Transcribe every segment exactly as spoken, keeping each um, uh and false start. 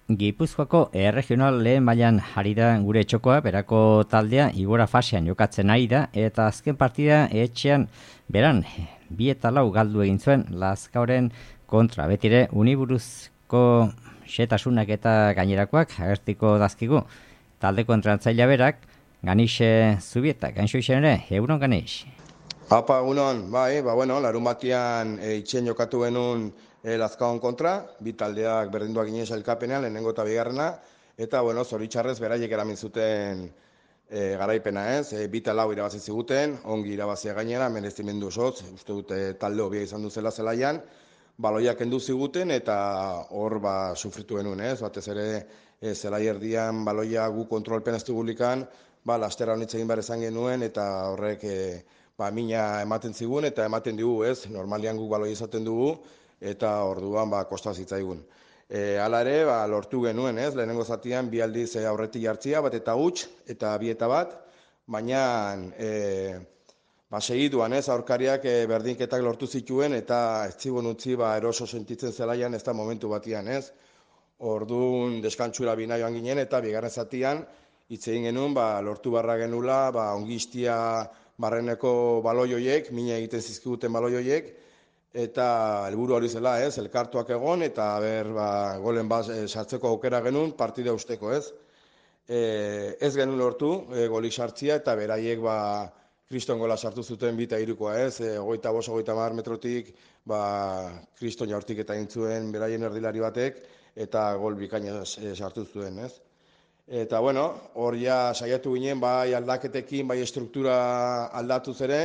Gipuzkoako erregional lehen mailan ari da gure txokoa, berako taldea igora fasean jokatzen ari da, eta azken partida etxean beran, bi eta lau galdu egin zuen Lazkaoren kontra. Betire, uniburuzko xetasunak eta gainerakoak agertiko dazkigu. Taldeko entrenatzailea berak, Ganixe Zubieta, Ganxo izan ere, egunon Ganix. Apa, egunon, bai, ba, bueno, larun batian e, itxen jokatu genuen e, Lazkaon kontra, bi taldeak berdinduak ginez elkapenean, lehenengo eta bigarrena, eta, bueno, zoritxarrez beraiek eramin zuten e, garaipena ez, e, bi eta lau irabazi ziguten, ongi irabazia gainera, merezimendu osoz, uste dute talde hobia izan duzela zelaian, baloiak kendu ziguten eta hor ba sufritu genuen ez, batez ere e, zelai erdian baloia gu kontrolpen ez dugulikan, ba, lastera honitz egin behar izan genuen, eta horrek e, ba, mina ematen zigun, eta ematen dugu, ez, normalian guk baloi izaten dugu, eta orduan ba, kosta zitzaigun. E, hala ere, ba, lortu genuen, ez, lehenengo zatian, bi aldiz e, aurretik jartzia, bat eta huts, eta bi eta bat, baina e, ba, segituan, ez, aurkariak e, berdinketak lortu zituen, eta ez zibon utzi, ba, eroso sentitzen zelaian, ez da momentu batian, ez. Orduan deskantsura bina joan ginen, eta bigarren zatian, hitz egin genuen, ba, lortu barra genula, ba, ongistia barreneko baloioiek, mina egiten zizkiguten baloioiek, eta helburu hori zela, ez, elkartuak egon, eta ber, ba, golen bat e, sartzeko aukera genuen, partida usteko, ez. E, ez genuen lortu, e, golik sartzia, eta beraiek, ba, kriston gola sartu zuten bita irukoa, ez, e, ogeita bost, ogeita hamar metrotik, ba, kriston jaurtik eta intzuen beraien erdilari batek, eta gol bikaina e, sartu zuen, ez. Eta, bueno, hor ja saiatu ginen, bai aldaketekin, bai struktura aldatuz ere,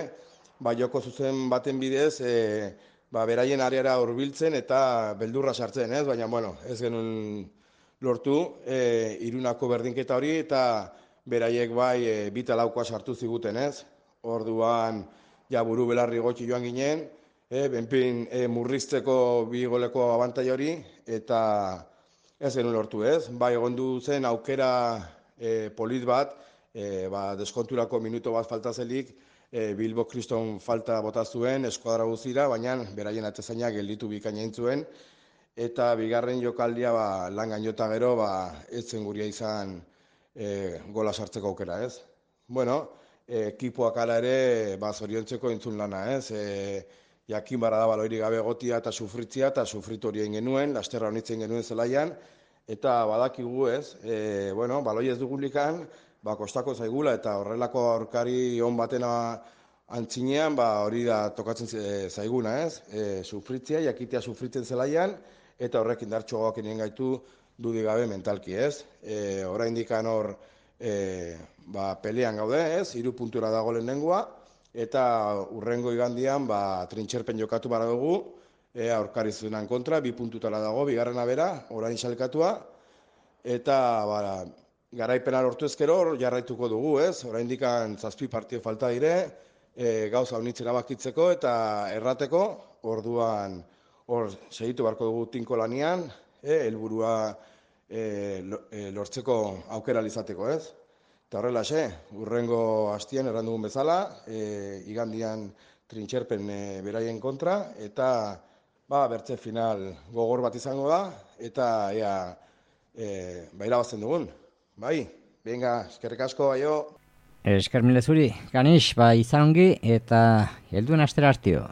bai joko zuzen baten bidez, e, ba, beraien areara hurbiltzen eta beldurra sartzen, ez? Baina, bueno, ez genuen lortu, e, irunako berdinketa hori, eta beraiek bai e, bita laukoa sartu ziguten, ez? Orduan, ja buru belarri gotxi joan ginen, e, benpin e, murrizteko bi goleko abantai hori, eta ez genuen lortu, ez? Bai, egondu zen aukera e, polit bat, e, ba, deskonturako minuto bat falta zelik, e, Bilbo kriston falta bota zuen, eskuadra guzira, baina beraien atezainak gelditu bikainain zuen, eta bigarren jokaldia ba, lan gainota gero, ba, ez zen guria izan e, gola sartzeko aukera, ez? Bueno, e, ekipoak ala ere, ba, zoriontzeko entzun lana, ez? E, jakin barra da baloiri gabe gotia eta sufritzia, eta sufritu hori egin genuen, lasterra honitzen genuen zelaian, eta badakigu, ez, e, bueno, baloi ez dugulikan, ba, kostako zaigula, eta horrelako aurkari on batena antzinean, ba, hori da tokatzen zaiguna, ez, e, sufritzia, jakitea sufritzen zelaian, eta horrek indartxoak inien gaitu dudik gabe mentalki, ez. E, oraindikan hor, e, ba, pelean gaude, ez, hiru puntura dago lehenengoa, eta urrengo igandian, ba, trintxerpen jokatu bara dugu, e, aurkari zuenan kontra, bi puntutara dago, bigarrena bera, orain salkatua, eta, ba, garaipena lortu ezkero, jarraituko dugu, ez? Oraindikan zazpi partio falta dire, e, gauza honitzera bakitzeko eta errateko, orduan, hor, segitu barko dugu tinko lanian, e, helburua e, lortzeko aukera izateko, ez? Eta horrela, xe, urrengo hastian errandugun bezala, e, igandian trintxerpen e, beraien kontra, eta ba, bertze final gogor bat izango da, eta ea, e, ba, irabazten dugun. Bai, venga, eskerrik asko, aio. Esker mile zuri, Ganix, ba, izan ongi, eta helduen astera hartio.